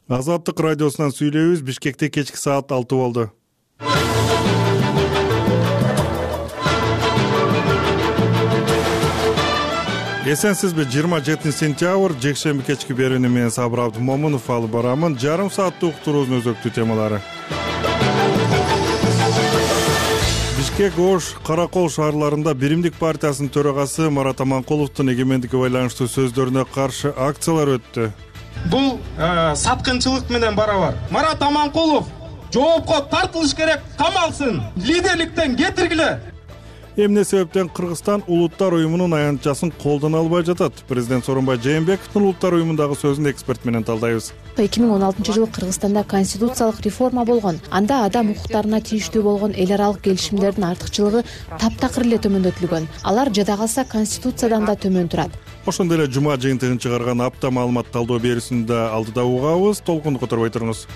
Азаттык радиосунан сүйлөйбүз. Бишкекте кечки саат 6 болду. Эсенсизби? 27 сентябрь жекшемби кечки берүүнү менен Сабыр Абдымомунов алып барамын. Жарым сааттык уктуруубуздун өзөктүү темалары. Бишкек, Ош, Каракол шаарларында Биримдик партиясынын төрагасы Марат Аманкуловдун эгемендикке байланыштуу сөздөрүнө каршы акциялар өттү. Бул саткынчылык менен барабар. Марат Аманкулов жоопко тартылыш керек, камалсын, лидерликтен кетиргиле. Эмне себептен Кыргызстан Улуттар уюмунун аянтчасын колдоно албай жатат? Президент Сооронбай Жээнбековдун Улуттар уюмундагы сөзүн эксперт менен талдайбыз. 2016-жылы Кыргызстанда конституциялык реформа болгон. Анда адам укуктарына тийиштүү болгон эл аралык келишимдердин артыкчылыгы таптакыр эле төмөндөтүлгөн. Алар жада калса конституциядан да төмөн турат. Ошондой эле жума жыйынтыгын чыгарган апта маалымат талдоо берүүсүндө алдыда угабыз. Толкунду которбой туруңуз.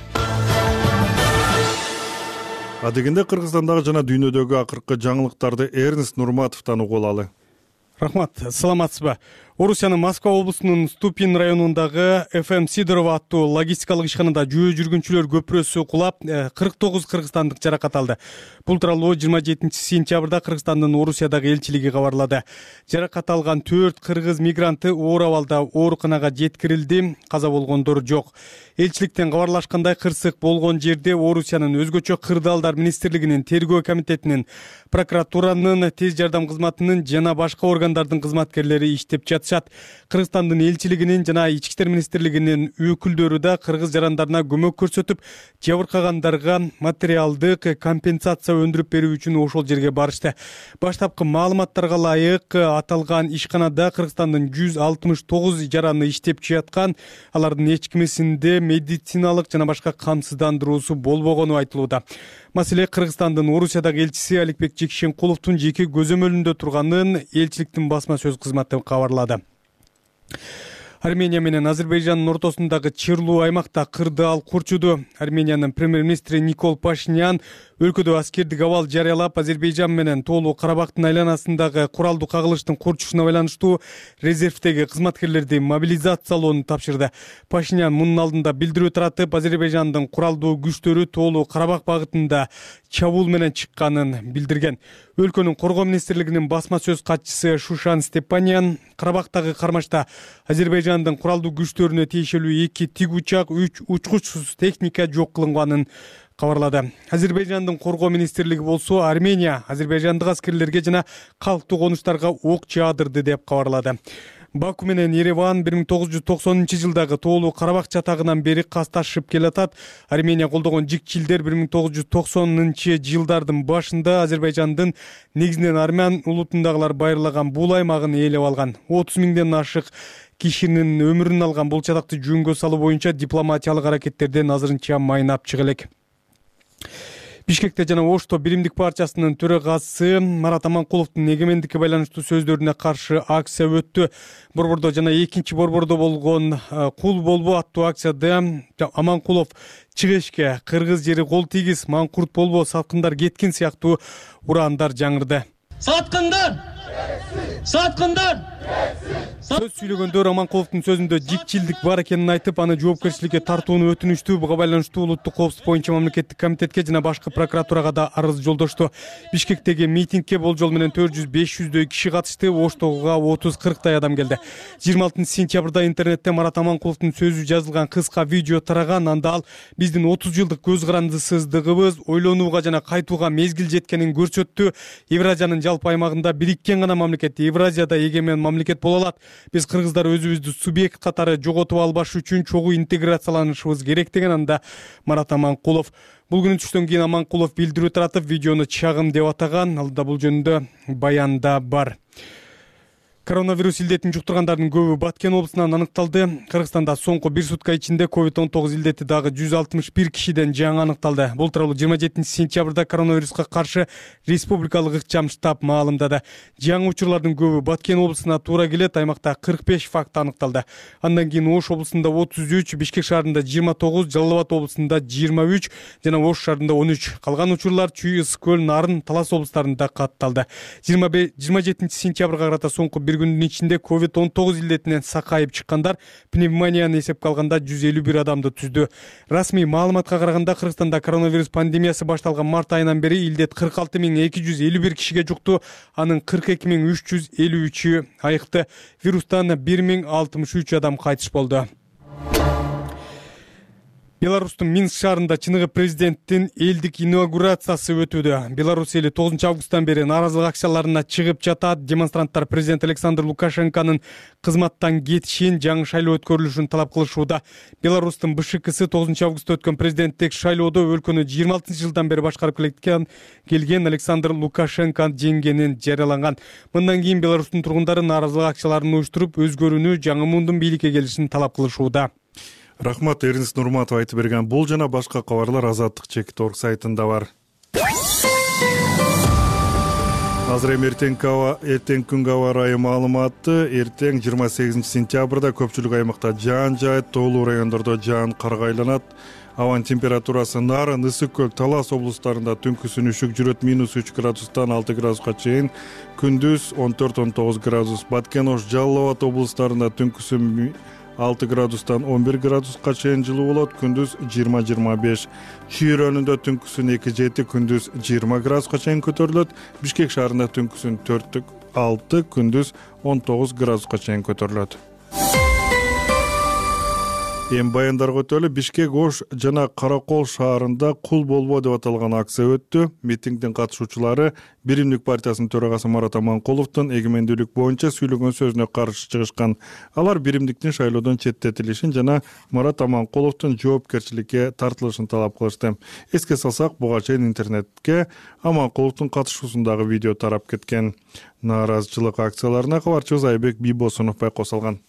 Адегенде Кыргызстандагы жана дүйнөдөгү акыркы жаңылыктарды Эрнест Нурматовдон угуп алалы. Рахмат, саламатсызбы? Орусиянын Москва облусунун Ступин районундагы ФМ Сидорова аттуу логистикалык ишканада жөө жүргүнчүлөр көпүрөсү кулап, 49 кыргызстандык жаракат алды. Бул тууралуу 27 сентябрда Кыргызстандын Орусиядагы элчилиги кабарлады. Жаракат алган 4 кыргыз мигранты оор абалда ооруканага жеткирилди, каза болгондор жок. Элчиликтен кабарлашкандай, кырсык болгон жерде Орусиянын өзгөчө кырдаалдар министрлигинин, тергөө комитетинин, прокуратуранын, тез жардам кызматынын жана башка органдардын кызматкерлери иштеп жатышат. Кыргызстандын элчилигинин жана Ички иштер министрлигинин өкүлдөрү да кыргыз жарандарына көмөк көрсөтүп, жабыркагандарга материалдык компенсация өндүрүп берүү үчүн ошол жерге барышты. Баштапкы маалыматтарга ылайык аталган ишканада Кыргызстандын 169 жараны иштеп жаткан, алардын эч кимисинде медициналык жана башка камсыздандыруусу болбогону айтылууда. Маселе Кыргызстандын Орусиядагы элчиси Аликбек Жекшенкуловдун жеке көзөмөлүндө турганын элчиликтин басма сөз кызматы кабарлады. Армения менен Азербайжандын ортосундагы чырлуу аймакта кырдаал курчуду. Армениянын премьер-министри Никол Пашинян өлкөдө аскердик абал жарыялап, Азербайжан менен Тоолуу Карабактын айланасындагы куралдуу кагылыштын курчушуна байланыштуу резервдеги кызматкерлерди мобилизациялоону тапшырды. Пашинян мунун алдында билдирүү таратып, Азербайжандын куралдуу күчтөрү Тоолуу Карабак багытында чабуул менен чыкканын билдирген. Өлкөнүн коргоо министрлигинин басма сөз катчысы Шушан Степанян Карабактагы кармашта Азербайжандын куралдуу күчтөрүнө тиешелүү 2 тик учак, 3 учкучсуз техника жок кылынганын кабарлады. Азербайжандын коргоо министрлиги болсо Армения азербайжандык аскерлерге жана калктуу конуштарга ок жаадырды деп кабарлады. Баку менен Ереван 1990-жылдагы Тоолуу Карабак чатагынан бери касташып келатат. Армения колдогон жикчилдер 1990-жылдардын башында Азербайжандын негизинен армян улутундагылар байырлаган бул аймагын ээлеп алган. 30 миңден ашык кишинин өмүрүн алган бул чатакты жөнгө салуу боюнча дипломатиялык аракеттерден азырынча майнап чыга элек. Бишкекте жана Ошто Биримдик партиясынын төрагасы Марат Аманкуловдун эгемендикке байланыштуу сөздөрүнө каршы акция өттү. Борбордо жана экинчи борбордо болгон кул болбо аттуу акцияда Аманкулов чыгышке кыргыз жери кол тийгиз, маңкурт болбо, саткындар кеткин сыяктуу ураандар жаңырды. Саткындар! Саткындар! Сөз сүйлөгөндөр Аманкуловдун сөзүндө жикчилдик бар экенин айтып, аны жоопкерчиликке тартууну өтүнүштү. Буга байланыштуу Улуттук коопсуздук боюнча мамлекеттик комитетке жана башкы прокуратурага да арыз жолдошту. Бишкектеги митингге болжол менен 400-500дөй киши катышты. Оштога 30-40дай адам келди. 26 сентябрда интернетте Марат Аманкуловдун сөзү жазылган кыска видео тараган. Анда ал биздин 30 жылдык көз карандысыздыгыбыз ойлонууга жана кайтууга мезгил жеткенин көрсөттү. Евразиянын жалпы аймагында бириккен гана мамлекет, Евразияда эгемен мамлекет боло алат. Биз кыргыздар өзүбүздү субъект катары жоготуп албаш үчүн чогуу интеграцияланышыбыз керек деген анда Марат Аманкулов. Бул күнү түштөн кийин Аманкулов билдирүү таратып, видеону чагым деп атаган. Алда бул жөнүндө баянда бар. Коронавирус илдетин жуктургандардын көбү Баткен облусунан аныкталды. Кыргызстанда соңку 1 сутка ичинде COVID-19 илдети дагы 161 кишиден жаңы аныкталды. Бул тууралуу 27 сентябрда коронавируска каршы республикалык ыкчам штаб маалымдады. Жаңы учурлардын көбү Баткен облусуна туура келет. Аймакта 45 факт аныкталды. Андан кийин Ош облусунда 33, Бишкек шаарында 29, Жалал Абад облусунда 23 жана Ош шаарында 13. Калган учурлар Чүй, Ысык көл, Нарын, Талас облустарында катталды. 27 сентябрга карата соңку бир күндүн ичинде COVID-19 илдетинен сакайып чыккандар пневмонияны эсепке алганда 151 адамды түздү. Расмий маалыматка караганда Кыргызстанда коронавирус пандемиясы башталган март айынан бери илдет 46.251 кишиге жукту, анын 42.353-ü айыкты. Вирустан 1063 адам кайтыш болду. Беларустун Минск шаарында чыныгы президенттин элдик инаугурациясы өтүүдө. Беларусь эли 9 августтан бери нааразылык акцияларына чыгып жатат. Демонстранттар президент Александр Лукашенконун кызматтан кетишин, жаңы шайлоо өткөрүлүшүн талап кылышууда. Беларустун БШКсы 9 августта өткөн президенттик шайлоодо өлкөнү 26-жылдан бери башкарып келген Александр Лукашенко жеңгенин жарыяланган. Мындан кийин Беларустун тургундары нааразылык акцияларын уюштуруп, өзгөрүүнү, жаңы мундун бийликке келишин талап кылышууда. Рахмат, Эрнис Нурматов айтып берген. Бул жана башка кабарлар Азаттык.org сайтында бар. Азыр эми эртең күнгө аба ырайы маалыматы. Эртең 28 сентябрда көпчүлүк аймакта жаан жаайт, тоолуу райондордо жаан карга айланат. Абанын температурасы Нарын, Ысык көл, Талас облустарында түнкүсүн үшүк жүрөт, -3 градустан 6 градуска чейин, күндүз 14-19 градус. Баткен, Ош, Жалал Абад облустарында түнкүсүн 6 градустан 11 градуска чейин жылуу болот, күндүз 20-25. Чүй районунда түнкүсүн 2-7, күндүз 20 градуска чейин көтөрүлөт. Бишкек шаарында түнкүсүн 4-6, күндүз 19 градуска чейин көтөрүлөт. Эми баяндарга өтөлү. Бишкек, Ош жана Каракол шаарында кул болбо деп аталган акция өттү. Митингдин катышуучулары Биримдик партиясынын төрагасы Марат Аманкуловдун эгемендүүлүк боюнча сүйлөгөн сөзүнө каршы чыгышкан. Алар биримдиктин шайлоодон четтетилишин жана Марат Аманкуловдун жоопкерчиликке тартылышын талап кылышты. Эске салсак, буга чейин интернетке Аманкуловдун катышуусундагы видео тарап кеткен. Нааразычылык акцияларына кабарчыбыз Айбек Бийбосунов байкоо салган.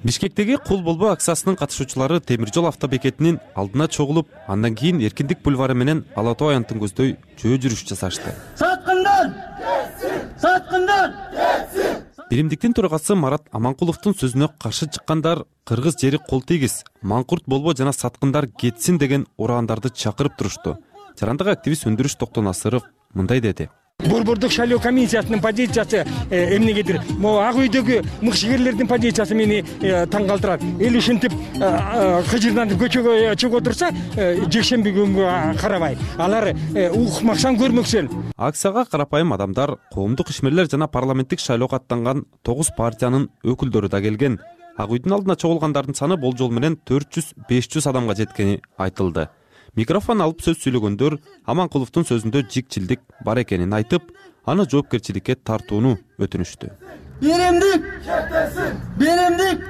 Бишкектеги кул болбо акциясынын катышуучулары темир жол автобекетинин алдына чогулуп, андан кийин Эркиндик бульвары менен Ала Тоо аянтын көздөй жөө жүрүш жасашты. Саткындар! Саткындар! Биримдиктин төрагасы Марат Аманкуловдун сөзүнө каршы чыккандар кыргыз жери кол тийгиз, маңкурт болбо жана саткындар кетсин деген урандарды чакырып турушту. Жарандык активист Өндүрүш Токтонасыров мындай деди. Борбордук шайлоо комиссиясынын позициясы эмнегедир? Могу ак үйдөгү мыкшыгерлердин позициясы мени таң калтырат. Эл ушинтип кыжырданып көчөгө чыгып отурса, жекшемби күнгө карабай, алар укмаксан көрмөксөн. Акцияга карапайым адамдар, коомдук ишмерлер жана парламенттик шайлоого аттанган 9 партиянын өкүлдөрү да келген. Ак үйдүн алдына чогулгандардын саны болжол менен 400-500 адамга жеткени айтылды. Микрофон алып сөз сүйлөгөндөр Аманкуловдун сөзүндө жикчилдик бар экенин айтып, аны жоопкерчиликке тартууну өтүнүштү. Биримдик! Биримдик!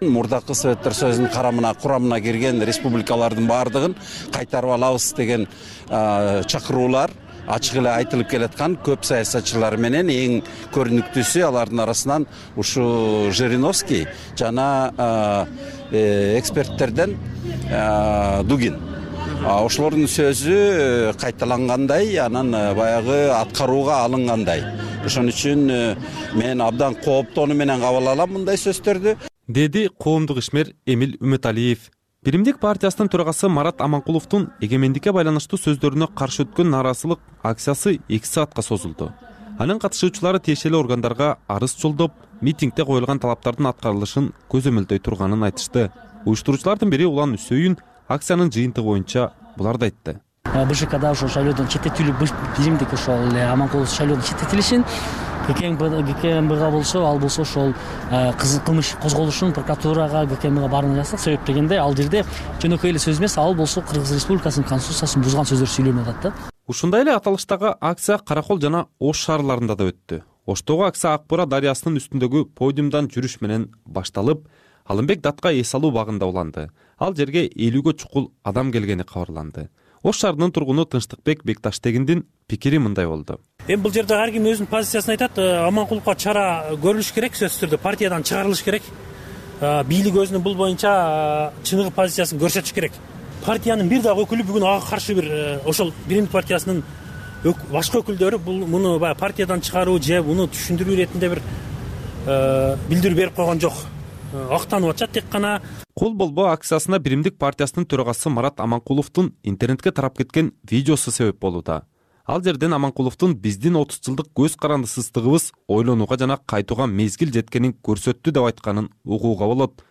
Мурдакы советтер Союзунун курамына кирген республикалардын баардыгын кайтарып алабыз деген чакыруулар ачык эле айтылып келаткан. Көп саясатчылар менен эң көрүнүктүүсү алардын арасынан ушу Жириновский жана эксперттерден Дугин. Ошолордун сөзү кайталангандай, анан баягы аткарууга алынгандай. Ошон үчүн мен абдан кооптонуу менен кабыл алам мындай сөздөрдү, деди коомдук ишмер Эмил Үмөталиев. Биримдик партиясынын төрагасы Марат Аманкуловдун эгемендикке байланыштуу сөздөрүнө каршы өткөн нааразылык акциясы 2 саатка созулду. Анын катышуучулары тиешелүү органдарга арыз жолдоп, митингде коюлган талаптардын аткарылышын көзөмөлдөй турганын айтышты. Уюштуруучулардын бири Улан Үсөйүн акциянын жыйынтыгы боюнча буларды айтты. БШКда ошол шайлоодон четтетилүү, биримдик ошол Аманкулов шайлоодон четтетилишин, ГКМБга болсо, ал болсо ошол кылмыш козголушун прокуратурага, ГКМБга баарын жазсак, себеп дегенде ал жерде жөнөкөй эле сөз эмес, ал болсо Кыргыз Республикасынын конституциясын бузган сөздөр сүйлөнүп атат да. Ушундай эле аталыштагы акция Каракол жана Ош шаарларында да өттү. Оштогу акция Ак Бура дарыясынын үстүндөгү подиумдан жүрүш менен башталып, Алымбек Датка эс алуу багында уланды. Ал жерге 50гө чукул адам келгени кабарланды. Ош шаарынын тургуну Тынчтыкбек Бекташтегиндин пикири мындай болду. Эми бул жерде ар ким өзүнүн позициясын айтат. Аманкуловго чара көрүлүш керек, сөзсүз түрдө партиядан чыгарылыш керек. Бийлик өзүнүн бул боюнча чыныгы позициясын көрсөтүш керек. Партиянын бир дагы өкүлү бүгүн ага каршы бир ошол Биримдик партиясынын башка өкүлдөрү муну партиядан чыгаруу же муну түшүндүрүү иретинде бир билдирүү берип койгон жок. Актанып атат тек гана. Кул болбо акциясына Биримдик партиясынын төрагасы Марат Аманкуловдун интернетке тарап кеткен видеосу себеп болууда. Ал жерден Аманкуловдун биздин 30 жылдык көз карандысыздыгыбыз ойлонууга жана кайтууга мезгил жеткенин көрсөттү деп айтканын угууга болот.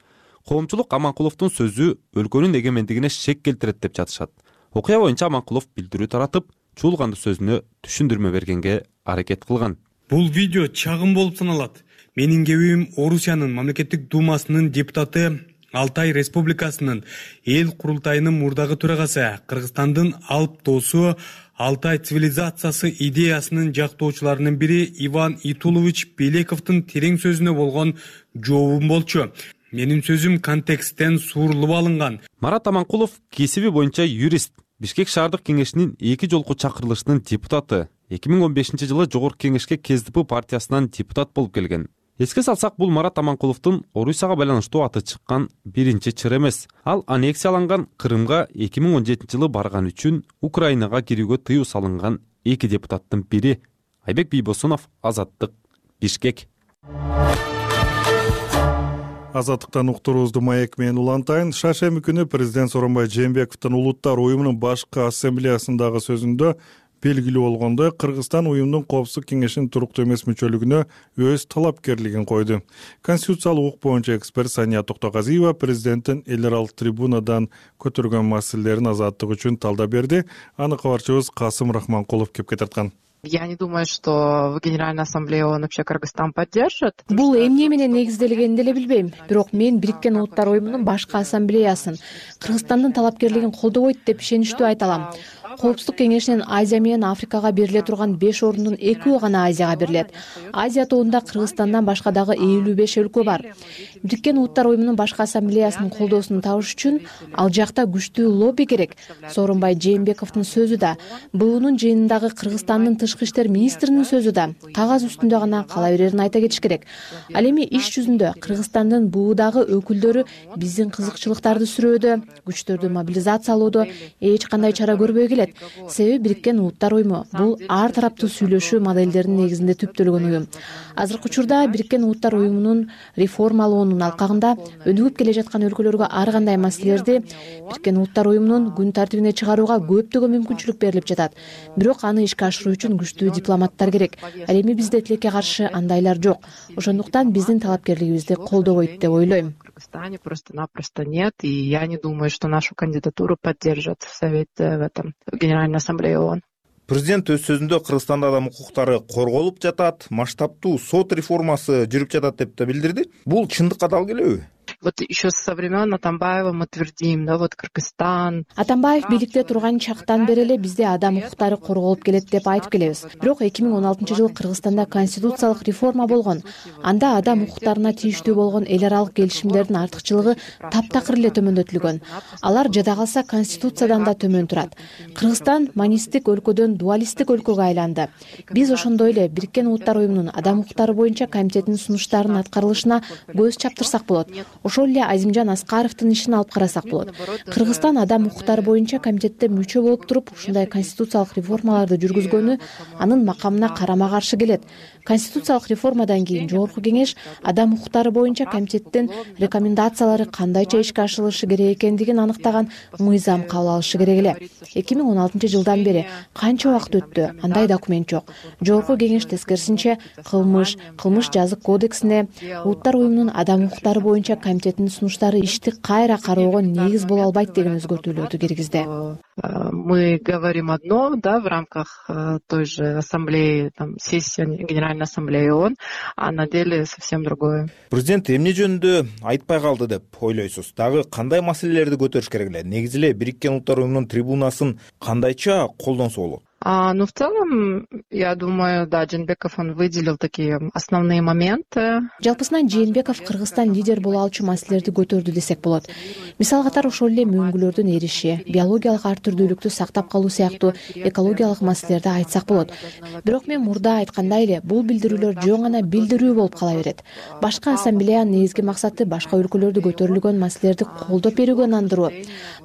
Коомчулук Аманкуловдун сөзү өлкөнүн эгемендигине шек келтирет деп жатышат. Окуя боюнча Аманкулов билдирүү таратып, чуулганды сөзүнө түшүндүрмө бергенге аракет кылган. Бул видео чагым болуп саналат. Менин кебим Орусиянын мамлекеттик думасынын депутаты, Алтай Республикасынын эл курултайынын мурдагы төрагасы, Кыргызстандын алып доосу, Алтай цивилизациясы идеясынын жактоочуларынын бири Иван Итулович Белековдун терең сөзүнө болгон жообум болчу. Менин сөзүм контексттен суурулуп алынган. Марат Аманкулов кесиби боюнча юрист, Бишкек шаардык кеңешинин 2 жолку чакырылышынын депутаты. 2015-жылы Жогорку кеңешке КСДП партиясынан депутат болуп келген. Эске салсак, бул Марат Аманкуловдун Орусияга байланыштуу аты чыккан биринчи чыр эмес. Ал аннексияланган Крымга 2017-жылы барган үчүн Украинага кирүүгө тыюу салынган 2 депутаттын бири. Айбек Бийбосунов, Азаттык, Бишкек. Азаттыктан уктуруубузду маек менен улантайын. Шаршемби күнү президент Сооронбай Жээнбековдун Улуттар уюмунун башкы ассамблеясындагы сөзүндө белгилүү болгондой, Кыргызстан уюмдун Коопсуздук кеңешинин туруктуу эмес мүчөлүгүнө өз талапкерлигин койду. Конституциялык укук боюнча эксперт Сания Токтогазиева президенттин эл аралык трибунадан көтөргөн маселелерин Азаттык үчүн талдап берди. Аны кабарчыбыз Касым Рахманкулов кепке тарткан. Я не думаю, что в Генеральной Ассамблее ООН вообще Кыргызстан поддержит. Бул эмне менен негизделгенин деле билбейм. Бирок мен Бириккен Улуттар уюмунун башкы ассамблеясын Кыргызстандын талапкерлигин колдобойт деп ишеничтүү айта алам. Коопсуздук кеңешинин Азия менен Африкага бериле турган 5 ордунун 2 гана Азияга берилет. Азия тобунда Кыргызстандан башка дагы 55 өлкө бар. Бириккен Улуттар уюмунун башкы ассамблеясынын колдоосун табыш үчүн ал жакта күчтүү лобби керек. Сооронбай Жээнбековдун сөзү да, БУнун жыйынындагы Кыргызстандын тышкы иштер министринин сөзү да кагаз үстүндө гана кала берерин айта кетиш керек. Ал эми иш жүзүндө Кыргызстандын БУдагы өкүлдөрү биздин кызыкчылыктарды сүрөөдө, күчтөрдү мобилизациялоодо эч кандай чара көрбөй келет. Себеби Бириккен Улуттар уюму бул ар тараптуу сүйлөшүү модельдеринин негизинде түптөлгөн уюм. Азыркы учурда Бириккен Улуттар уюмунун реформалоонун алкагында өнүгүп келе жаткан өлкөлөргө ар кандай маселелерди Бириккен Улуттар уюмунун күн тартибине чыгарууга көптөгөн мүмкүнчүлүк берилип жатат. Бирок аны ишке ашыруу үчүн күчтүү дипломаттар керек. Ал эми бизде тилекке каршы андайлар жок. Ошондуктан биздин талапкерлигибизди колдобойт деп ойлойм. В Кыргызстане просто-напросто нет, и я не думаю, что нашу кандидатуру поддержат в Совете в этом Генеральной Ассамблее ООН. Президент өз сөзүндө Кыргызстанда адам укуктары корголуп жатат, масштабтуу сот реформасы жүрүп жатат деп да билдирди. Бул чындыкка дал келеби? Вот еще со времен Атамбаева мы твердим, да, вот Кыргызстан. Атамбаев бийликте турган чактан бери эле бизде адам укуктары корголуп келет деп айтып келебиз. Бирок 2016-жылы Кыргызстанда конституциялык реформа болгон. Анда адам укуктарына тийиштүү болгон эл аралык келишимдердин артыкчылыгы таптакыр эле төмөндөтүлгөн. Алар жада калса конституциядан да төмөн турат. Кыргызстан монистик өлкөдөн дуалисттик өлкөгө айланды. Биз ошондой эле Бириккен Улуттар уюмунун адам укуктары боюнча комитетинин сунуштарынын аткарылышына көз чаптырсак болот. Ошол эле Азимжан Аскаровдун ишин алып карасак болот. Кыргызстан адам укуктары боюнча комитетте мүчө болуп туруп, ушундай конституциялык реформаларды жүргүзгөнү анын макамына карама-каршы келет. Конституциялык реформадан кийин Жогорку кеңеш адам укуктары боюнча комитеттин рекомендациялары кандайча ишке ашырылышы керек экендигин аныктаган мыйзам кабыл алышы керек эле. 2016-жылдан бери канча убакыт өттү, андай документ жок. Жогорку кеңеш тескерисинче кылмыш жазык кодексине Улуттар уюмунун адам укуктары боюнча комитетинин сунуштары ишти кайра кароого негиз боло албайт деген өзгөртүүлөрдү киргизди. Мы говорим одно, да, в рамках той же ассамблеи, там, сессии Генеральной Ассамблеи ООН, а на деле совсем другое. Президент эмне жөнүндө айтпай калды деп ойлойсуз? Дагы кандай маселелерди көтөрүш керек эле? Негизи эле Бириккен Улуттар уюмунун трибунасын кандайча колдонсо болот? Ну, в целом, я думаю, да, Жээнбеков, он выделил такие основные моменты. Жалпысынан Жээнбеков Кыргызстан лидер боло алчу маселелерди көтөрдү десек болот. Мисал катары ошол эле мөңгүлөрдүн эриши, биологиялык ар түрдүүлүктү сактап калуу сыяктуу экологиялык маселелерди айтсак болот. Бирок мен мурда айткандай эле, бул билдирүүлөр жөн гана билдирүү болуп кала берет. Башкы ассамблеянын негизги максаты башка өлкөлөрдө көтөрүлгөн маселелерди колдоп берүүгө ынандыруу.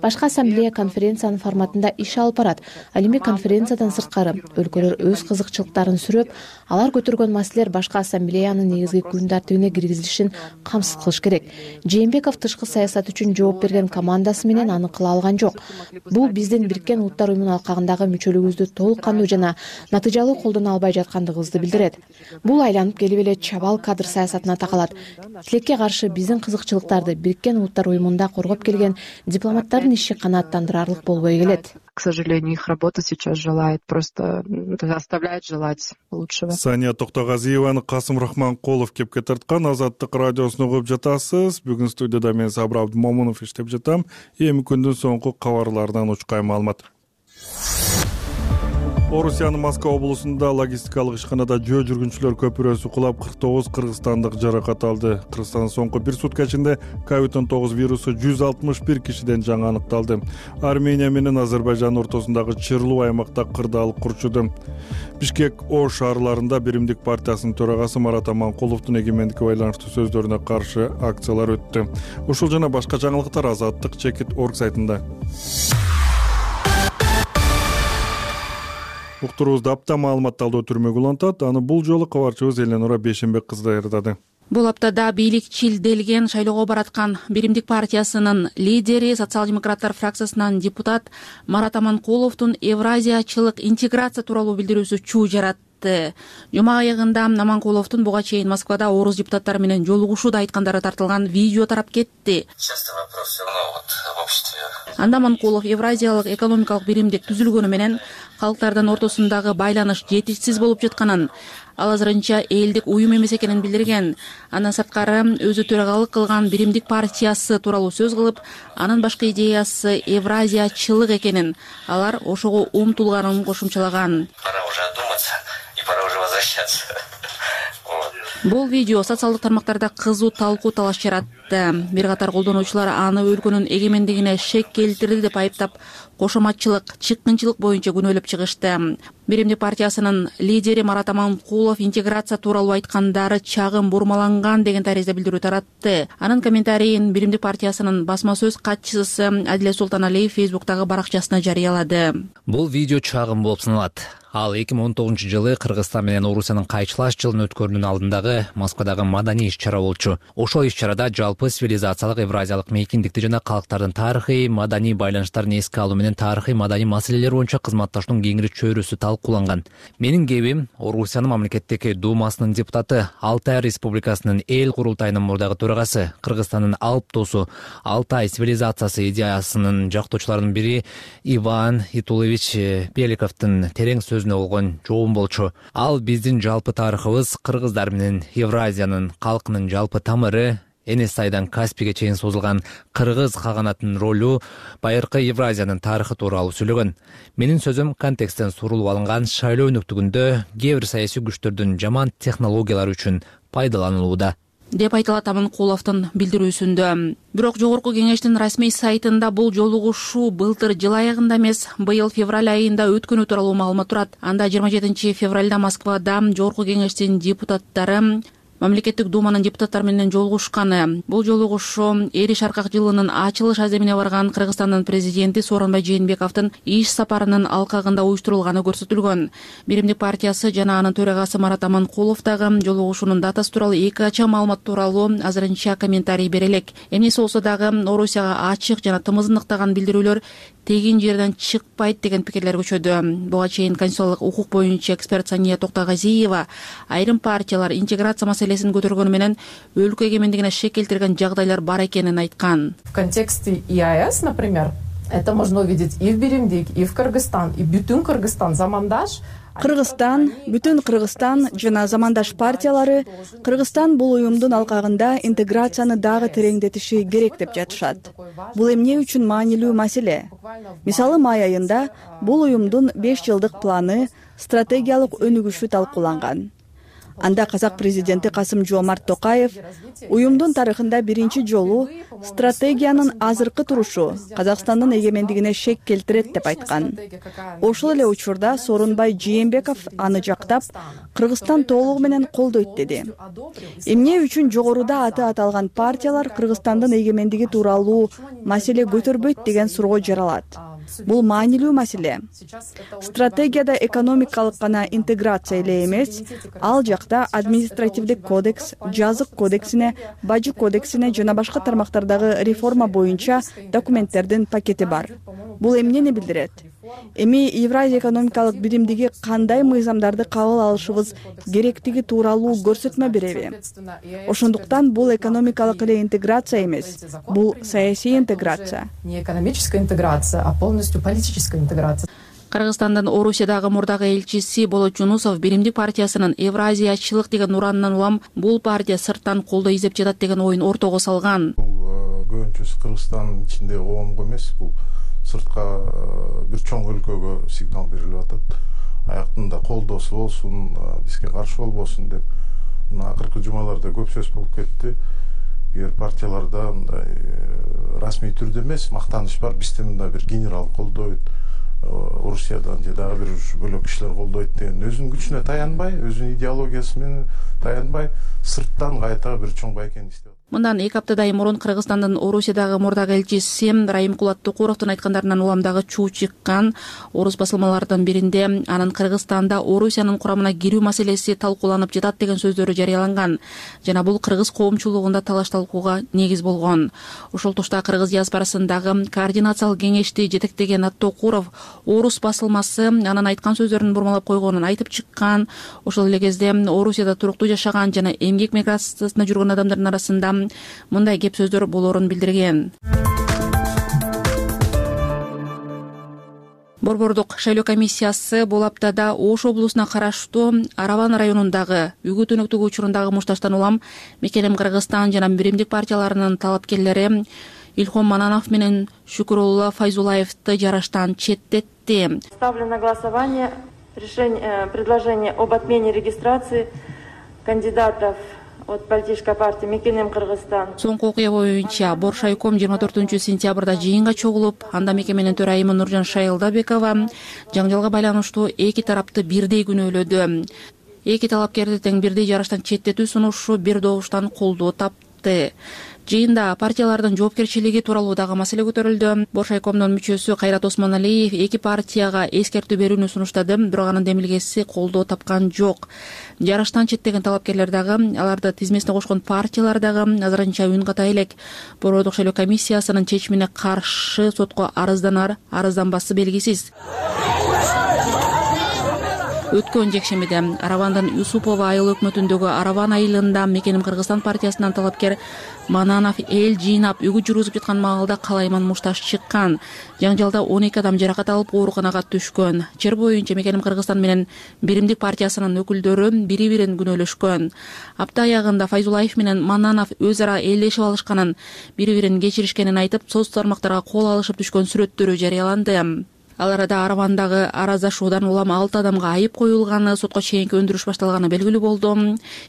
Башкы ассамблея конференциянын форматында иш алып барат. Ал эми конференциядан Мындан сырткары өлкөлөр өз кызыкчылыктарын сүрөп, алар көтөргөн маселелер башка ассамблеянын негизги күн тартибине киргизилишин камсыз кылыш керек. Жээнбеков тышкы саясат үчүн жооп берген командасы менен аны кыла алган жок. Бул биздин Бириккен Улуттар уюмунун алкагындагы мүчөлүгүбүздү толук кандуу жана натыйжалуу колдоно албай жаткандыгыбызды билдирет. Бул айланып келип эле чабал кадр саясатына такалат. Тилекке каршы биздин кызыкчылыктарды Бириккен Улуттар уюмунда коргоп келген дипломаттардын иши канааттандырарлык болбой келет. К сожалению, их работа сейчас оставляет желать лучшего. Сания Токтогазиеваны Касым Рахманкулов кепке тарткан Азаттык радиосуна угуп жатасыз. Бүгүн студияда мен Сабыр Абдымомунов иштеп жатам. Эми күндүн соңку кабарлардан учкай маалымат. Орусиянын Москва облусунда логистикалык ишканада жөө жүргүнчүлөр көпүрөсү кулап 49 кыргызстандык жаракат алды. Кыргызстандын соңку бир сутка ичинде COVID-19 вирусу 161 кишиден жаңы аныкталды. Армения менен Азербайжан ортосундагы чырлуу аймакта кырдаалык урчуду. Бишкек Ош шаарларында Биримдик партиясынын төрагасы Марат Аманкуловдун эгемендикке байланыштуу сөздөрүнө каршы акциялар өттү. Ушул жана башка жаңылыктар Азаттык.org сайтында. Уктуруубузду апта маалымат талдоо түрмөгү улантат. Аны бул жолу кабарчыбыз Эленора Бейшенбек кызы даярдады. Бул аптада бийликчилделген шайлоого бараткан Биримдик партиясынын лидери, социал-демократтар фракциясынан депутат Марат Аманкуловдун Евразиячылык интеграция тууралуу билдирүүсү чуу жаратты. Жума аягында Аманкуловдун буга чейин Москвада орус депутаттары менен жолугушууда айткандары тартылган видео тарап кетти. Анда Аманкулов Евразиялык экономикалык биримдик түзүлгөнү менен калктардын ортосундагы байланыш жетишсиз болуп жатканын, ал азырынча элдик уюм эмес экенин билдирген. Андан сырткары өзү төрагалык кылган Биримдик партиясы тууралуу сөз кылып, анын башкы идеясы Евразиячылык экенин, алар ошого умтулганын кошумчалаган. Бул видео социалдык тармактарда кызуу талкуу талаш жаратты. Бир катар колдонуучулар аны өлкөнүн эгемендигине шек келтирди деп айыптап, кошоматчылык, чыккынчылык боюнча күнөөлөп чыгышты. Биримдик партиясынын лидери Марат Аманкулов интеграция тууралуу айткандары чагым бурмаланган деген таризде билдирүү таратты. Анын комментарийин Биримдик партиясынын басма сөз катчысы Адилет Султаналиев Фейсбуктагы баракчасына жарыялады. Бул видео чагым болуп саналат. Ал 2019-жылы Кыргызстан менен Орусиянын кайчылаш жылын өткөрүүнүн алдындагы Москвадагы маданий иш-чара болчу. Ошол иш-чарада жалпы цивилизациялык евразиялык мейкиндикти жана калктардын тарыхый маданий байланыштарын эске алуу менен тарыхый маданий маселелер боюнча кызматташуунун кеңири чөйрөсү талкууланган. Менин кебим Орусиянын мамлекеттик думасынын депутаты, Алтай Республикасынын эл курултайынын мурдагы төрагасы, Кыргызстандын алып досу, Алтай цивилизациясы идеясынын жактоочуларынын бири Иван Итулович Беликовдун терең сөзүнө болгон жообум болчу. Ал биздин жалпы тарыхыбыз, кыргыздар менен Евразиянын калкынын жалпы тамыры, Энес айдан Каспийге чейин созулган кыргыз каганатынын ролу, байыркы Евразиянын тарыхы тууралуу сүйлөгөн. Менин сөзүм контексттен сурулуп алынган шайлоо өнөктүгүндө кээ бир саясий күчтөрдүн жаман технологиялары үчүн пайдаланылууда деп айтылат Аманкуловдун билдирүүсүндө. Бирок жогорку кеңештин расмий сайтында бул жолугушуу былтыр жыл аягында эмес, быйыл февраль айында өткөнү тууралуу маалымат турат. Анда 27 февралда Москвада жогорку кеңештин депутаттары Мамлекеттик думанын депутаттары менен жолугушканы. Бул жолугушуу Эри Шаркак жылынын ачылыш аземине барган Кыргызстандын президенти Сооронбай Жээнбековдун иш сапарынын алкагында уюштурулганы көрсөтүлгөн. Биримдик партиясы жана анын төрагасы Марат Аманкулов дагы жолугушуунун датасы тууралуу эки ача маалымат тууралуу азырынча комментарий бере элек. Эмнеси болсо дагы Орусияга ачык жана тымыздыктаган билдирүүлөр тегин жерден чыкпайт деген пикирлер көчөдү. Буга чейин конституциялык укук боюнча эксперт Сания Токтогазиева айрым партиялар интеграция маселесин көтөргөнү менен өлкө эгемендигине шек келтирген жагдайлар бар экенин айткан. В контексте ИАЭС, например, это можно увидеть и в Биримдик, и в Кыргызстан, и бүтүн Кыргызстан, Замандаш. Кыргызстан, бүтүн Кыргызстан жана Замандаш партиялары Кыргызстан бул уюмдун алкагында интеграцияны дагы тереңдетиши керек деп жатышат. Бул эмне үчүн маанилүү маселе? Мисалы, май айында бул уюмдун 5 жылдык планы, стратегиялык өнүгүшү талкууланган. Анда казак президенти Касым-Жомарт Токаев уюмдун тарыхында биринчи жолу стратегиянын азыркы турушу Казакстандын эгемендигине шек келтирет деп айткан. Ошол эле учурда Сооронбай Жээнбеков аны жактап, Кыргызстан толугу менен колдойт деди. Эмне үчүн жогоруда аты аталган партиялар Кыргызстандын эгемендиги тууралуу маселе көтөрбөйт деген суроо жаралат. Бул маанилүү маселе. Стратегияда экономикалык гана интеграция эле эмес, ал жакта административдик кодекс, жазык кодексине, бажы кодексине жана башка тармактардагы реформа боюнча документтердин пакети бар. Бул эмнени билдирет? Эми Евразия экономикалык биримдиги кандай мыйзамдарды кабыл алышыбыз керектиги тууралуу көрсөтмө береби? Ошондуктан бул экономикалык эле интеграция эмес, бул саясий интеграция. Не экономическая интеграция, а полностью политическая интеграция. Кыргызстандын Орусиядагы мурдагы элчиси Болот Жунусов Биримдик партиясынын Евразиячылык деген уранынан улам бул партия сырттан колдоо издеп жатат деген оюн ортого салган. Көбүнчөсү Кыргызстандын ичинде оомго эмес, бул сыртка бир чоң өлкөгө сигнал берилип атат. Аяктында колдоосу болсун, бизге каршы болбосун деп. Мына акыркы жумаларда көп сөз болуп кетти. Эгер партияларда расмий түрдө эмес, мактаныш бар, бизде мында бир генерал колдойт, Орусиядан же дагы бир бөлөк кишилер колдойт деген өзүнүн күчүнө таянбай, өзүнүн идеологиясы менен таянбай, сырттан кайта бир чоң байкени издеп. Мындан 2 аптадай мурун Кыргызстандын Орусиядагы мурдагы элчиси Раимкулат Токуровдун айткандарынан уламдагы чуу чыккан. Орус басылмаларынын биринде анын Кыргызстанда Орусиянын курамына кирүү маселеси талкууланып жатат деген сөздөрү жарыяланган жана бул кыргыз коомчулугунда талаш талкууга негиз болгон. Ошол тушта кыргыз диаспорасындагы координациялык кеңешти жетектеген Токуров Орус басылмасы анын айткан сөздөрүн бурмалап койгонун айтып чыккан. Ошол эле кезде Орусияда туруктуу жашаган жана эмгек миграциясында жүргөн адамдардын арасында мындай кеп сөздөр болоорун билдирген. Борбордук шайлоо комиссиясы бул аптада Ош облусуна караштуу Араван районундагы үгүт өнөктүгү учурундагы мушташтан улам Мекенем Кыргызстан жана Биримдик партияларынын талапкерлери Илхом Мананов менен Шүкүрулла Файзулаевди жараштан четтетти. Ставлю на голосование предложение об отмене регистрации кандидатов от политической партии Мекенем Кыргызстан. Соңку окуя боюнча Боршайком 24-сентябрда жыйынга чогулуп, анда мекеменин төрайымы Нуржан Шайылдабекова жаңжалга байланыштуу эки тарапты бирдей күнөөлөдү. Эки талапкерди тең бирдей жараштан четтетүү сунушу бир добуштан колдоо тапты. Жыйында партиялардын жоопкерчилиги тууралуу дагы маселе көтөрүлдү. Боршайкомдун мүчөсү Кайрат Осмоналиев эки партияга эскертүү берүүнү сунуштады, бирок анын демилгеси колдоо тапкан жок. Жараштан четтеген талапкерлер дагы, аларды тизмесине кошкон партиялар дагы азырынча үн ката элек. Борбордук шайлоо комиссиясынын чечимине каршы сотко арызданар, арызданбасы белгисиз. Өткөн жекшемиде Аравандын Юсупова айыл өкмөтүндөгү Араван айылында Мекенем Кыргызстан партиясынан талапкер Мананов эл жыйнап үгүт жүргүзүп жаткан маалда калайман мушташ чыккан. Жаңжалда 12 адам жаракат алып ооруканага түшкөн. Чер боюнча Мекенем Кыргызстан менен Биримдик партиясынын өкүлдөрү бири-бирин күнөөлөшкөн. Апта аягында Файзулаев менен Мананов өз ара элдешип алышканын, бири-бирин кечиришкенин айтып, соц тармактарга кол алышып түшкөн сүрөттөрү жарыяланды. Ал арада Аравандагы араздашуудан улам 6 адамга айып коюлганы, сотко чейинки өндүрүш башталганы белгилүү болду.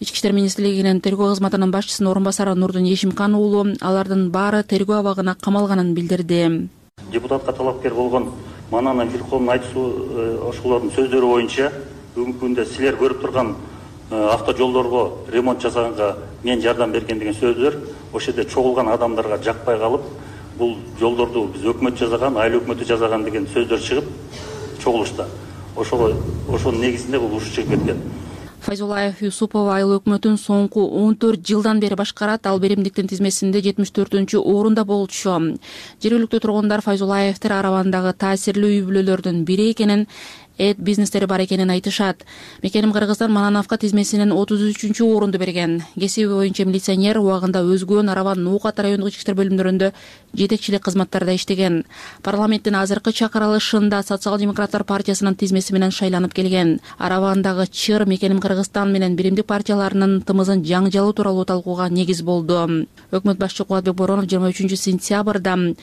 Ички иштер министрлигинин тергөө кызматынын башчысынын орун басары Нурдун Ешимкан уулу алардын баары тергөө абагына камалганын билдирди. Депутатка талапкер болгон Мананов Илхомдун ошолордун сөздөрү боюнча бүгүнкү күндө силер көрүп турган автожолдорго ремонт жасаганга мен жардам берген деген сөздөр ошол жерде чогулган адамдарга жакпай калып, бул жолдорду биз өкмөт жасаган, айыл өкмөтү жасаган деген сөздөр чыгып чогулушта. Ошонун негизинде бул уруш чыгып кеткен. Файзулаев Юсупова айыл өкмөтүн соңку 14 жылдан бери башкарат. Ал Биримдиктин тизмесинде 74-орунда болчу. Жергиликтүү тургундар Файзулаевдер Аравандагы таасирлүү үй бүлөлөрдүн бири экенин, бизнестери бар экенин айтышат. Мекенем Кыргызстан Манановго тизмесинен 33-орунду берген. Кесиби боюнча милиционер, убагында өзгөн Араван Нуукат райондук ички иштер бөлүмдөрүндө жетекчилик кызматтарда иштеген. Парламенттин азыркы чакырылышында Социал-демократтар партиясынын тизмеси менен шайланып келген. Аравандагы чыр Мекенем Кыргызстан менен Биримдик партияларынын тымызын жаңжалуу тууралуу талкууга негиз болду. Өкмөт башчы Кубатбек Боронов 23-сентябрда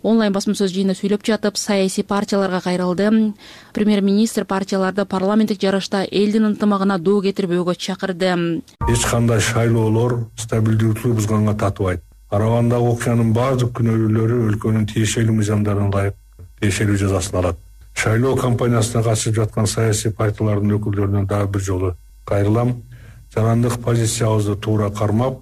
онлайн басма-сөз жыйында сүйлөп жатып, саясий партияларга кайрылды. Премьер-министр партияларды парламенттик жарышта элдин ынтымагына доо кетирбөөгө чакырды. Эч кандай шайлоолор стабилдүүлүктү бузганга татыбайт. Аравандагы окуянын баардык күнөөлүүлөрү өлкөнүн тиешелүү мыйзамдарына ылайык тиешелүү жазасын алат. Шайлоо кампаниясына катышып жаткан саясий партиялардын өкүлдөрүнө дагы бир жолу кайрылам. Жарандык позициябызды туура кармап,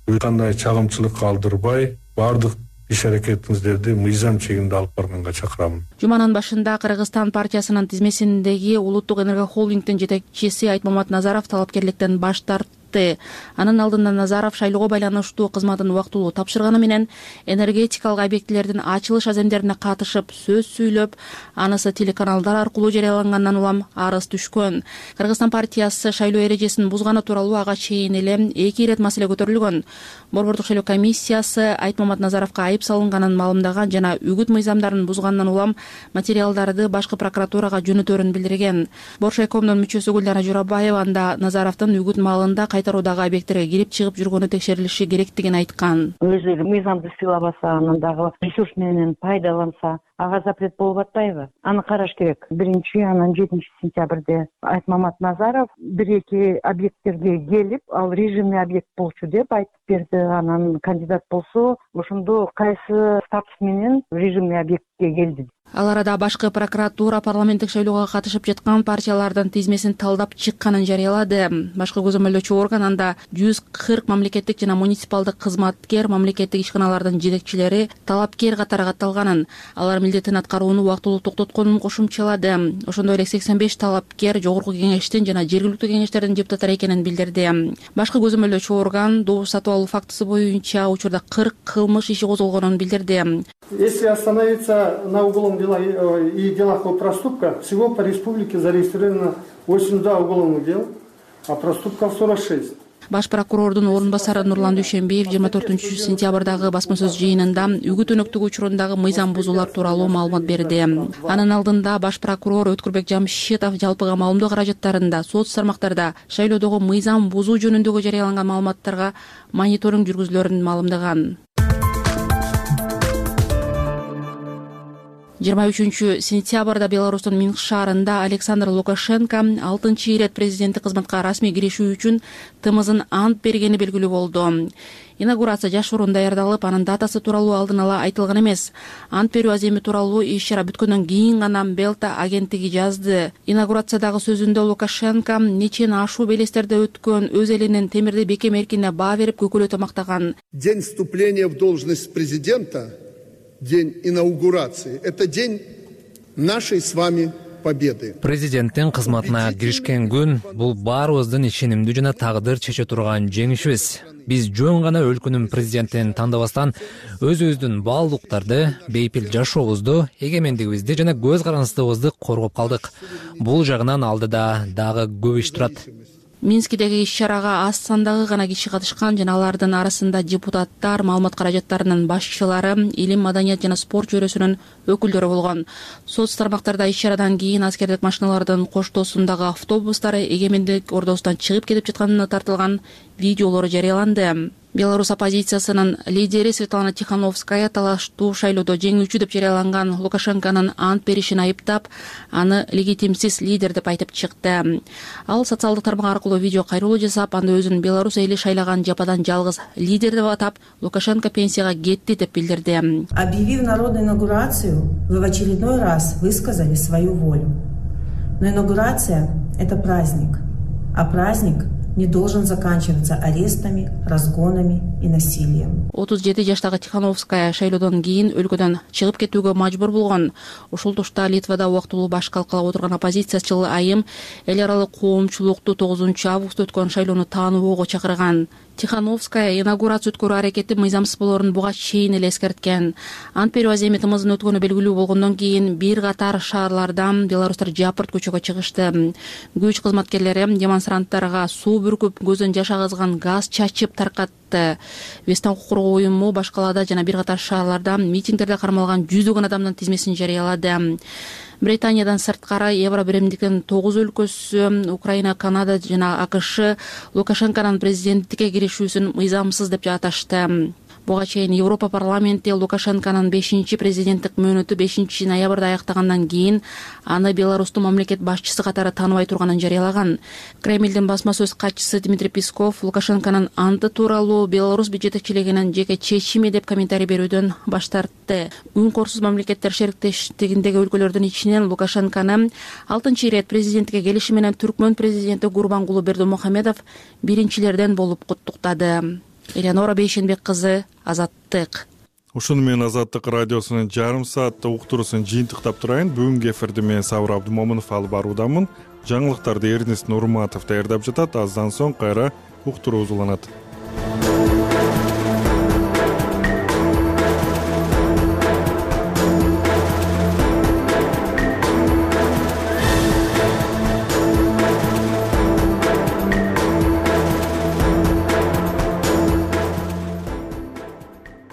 эч кандай чагымчылык калтырбай, баардык иш аракетиңиздерди мыйзам чегинде алып барганга чакырамын. Жуманын башында Кыргызстан партиясынын тизмесиндеги Улуттук энергохолдингдин жетекчиси Айтмамат Назаров талапкерликтен баш тартты. Анын алдында Назаров шайлоого байланыштуу кызматын убактылуу тапшырганы менен энергетикалык объектилердин ачылыш аземдерине катышып сөз сүйлөп, анысы телеканалдар аркылуу жарыялангандан улам арыз түшкөн. Кыргызстан партиясы шайлоо эрежесин бузганы тууралуу ага чейин эле 2 ирет маселе көтөрүлгөн. Борбордук шайлоо комиссиясы Айтмамат Назаровго айып салынганын маалымдаган жана үгүт мыйзамдарын бузгандан улам материалдарды башкы прокуратурага жөнөтөрүн билдирген. Боршайкомдун мүчөсү Гүлнара Журабаева анда Назаровдун үгүт маалында кайтаруудагы объекттерге кирип чыгып жүргөнү текшерилиши керектигин айткан. Өзү мыйзамды сыйлабаса, анан дагы ресурс менен пайдаланса, ага запрет болуп атпайбы? Аны караш керек. 1-анан 7 сентябрде Айтмамат Назаров 1-2 объекттерге келип, ал режимный объект болчу деп айтып берди. Анан кандидат болсо, ошондо кайсы статус менен режимный объектке келди. Ал арада башкы прокуратура парламенттик шайлоого катышып жаткан партиялардын тизмесин талдап чыкканын жарыялады. Башкы көзөмөлдөөчү орган анда 140 мамлекеттик жана муниципалдык кызматкер, мамлекеттик ишканалардын жетекчилери талапкер катары катталганын, алар милдетин аткарууну убактылуу токтотконун кошумчалады. Ошондой эле 85 талапкер жогорку кеңештин жана жергиликтүү кеңештердин депутаттары экенин билдирди. Башкы көзөмөлдөөчү орган добуш сатып алуу фактысы боюнча учурда 40 кылмыш иши козголгонун билдирди. Если остановиться на уголовном и делах о проступках, всего по республике зарегистрировано 82 уголовных дел, а проступков 46. Баш прокурордун орун басары Нурлан Дүйшөнбиев 24-сентябрдагы басма сөз жыйынында үгүт өнөктүгү учурундагы мыйзам бузуулар тууралуу маалымат берди. Анын алдында баш прокурор Өткүрбек Жамшитов жалпыга маалымдоо каражаттарында, соц тармактарда шайлоодогу мыйзам бузуу жөнүндөгү жарыяланган маалыматтарга мониторинг жүргүзүлөрүн маалымдаган. 23-сентябрда Беларустун Минск шаарында Александр Лукашенко 6-ирет президенттик кызматка расмий киришүү үчүн тымызын ант бергени белгилүү болду. Инаугурация жашыруун даярдалып, анын датасы тууралуу алдын ала айтылган эмес. Ант берүү аземи тууралуу иш-чара бүткөндөн кийин гана Белта агенттиги жазды. Инаугурациядагы сөзүндө Лукашенко нечен ашуу белестерде өткөн өз элинин темирди бекем эркине баа берип көкөлөтө мактаган. День вступления в должность президента, день инаугурации – это день нашей с вами победы. Президенттин кызматына киришкен күн бул баарыбыздын ишенимдүү жана тагдыр чече турган жеңишибиз. Биз жөн гана өлкөнүн президентин тандабастан өзүбүздүн баалуулуктарды, бейпил жашообузду, эгемендигибизди жана көз карандыбызды коргоп калдык. Бул жагынан алдыда дагы көп иш турат. Минскидеги иш-чарага аз сандагы гана киши катышкан жана алардын арасында депутаттар, маалымат каражаттарынын башчылары, илим, маданият жана спорт чөйрөсүнүн өкүлдөрү болгон. Соц тармактарда иш-чарадан кийин аскердик машиналардын коштоосундагы автобустары эгемендик ордосунан чыгып кетип жатканына тартылган видеолору жарыяланды. Беларусь оппозициясынын лидери Светлана Тихановская талаштуу шайлоодо жеңүүчү деп жарыяланган Лукашенконун ант беришин айыптап, аны легитимсиз лидер деп айтып чыкты. Ал социалдык тармак аркылуу видео кайрылуу жасап, анда өзүн Беларусь эли шайлаган жападан жалгыз лидер деп атап, Лукашенко пенсияга кетти деп билдирди. Объявив народную инаугурацию, вы в очередной раз высказали свою волю. Но инаугурация – это праздник, а праздник не должен заканчиваться арестами, разгонами и насилием. 37 жаштагы Тихановская шайлоодон кийин өлкөдөн чыгып кетүүгө мажбур болгон. Ошол тушта Литвада убактылуу баш калкалап отурган оппозициячыл айым эл аралык коомчулукту 9 августта өткөн шайлоону тааныбоого чакырган. Тихановская инаугурация өткөрүү аракети мыйзамсыз болоорун буга чейин эле эскерткен. Ант берүү аземи тымызын өткөнү белгилүү болгондон кийин бир катар шаарлардан беларустар жапырт көчөгө чыгышты. Күч кызматкерлери демонстранттарга суу бүркүп, көздөн жаш агызган газ чачып таркатты. Вестан укук коргоо уюму башкалада жана бир катар шаарларда митингдерде кармалган жүздөгөн адамдын тизмесин жарыялады. Британиядан сырткары Евро биримдиктин 9 өлкөсү, Украина, Канада жана АКШ Лукашенконун президенттикке киришүүсүн мыйзамсыз деп аташты. Буга чейин Европа парламенти Лукашенконун 5-президенттик мөөнөтү 5 ноябрда аяктагандан кийин аны Беларустун мамлекет башчысы катары тааныбай турганын жарыялаган. Кремлдин басма сөз катчысы Дмитрий Песков Лукашенконун анты тууралуу Беларусь жетекчилигинин жеке чечими деп комментарий берүүдөн баш тартты. Үн корсуз мамлекеттер шериктештигиндеги өлкөлөрдүн ичинен Лукашенкону 6-ирет президенттикке келиши менен Түркмөн президенти Гурбангулы Бердымухамедов биринчилерден болуп куттуктады. Элеонора Бейшенбек кызы, Азаттык. Ушуну менен Азаттык радиосунун жарым сааттык уктуруусун жыйынтыктап турайын. Бүгүнкү эфирди мен Сабыр Абдымомунов алып баруудамын. Жаңылыктарды Эрнест Нурматов даярдап жатат. Аздан соң кайра уктуруу уланат.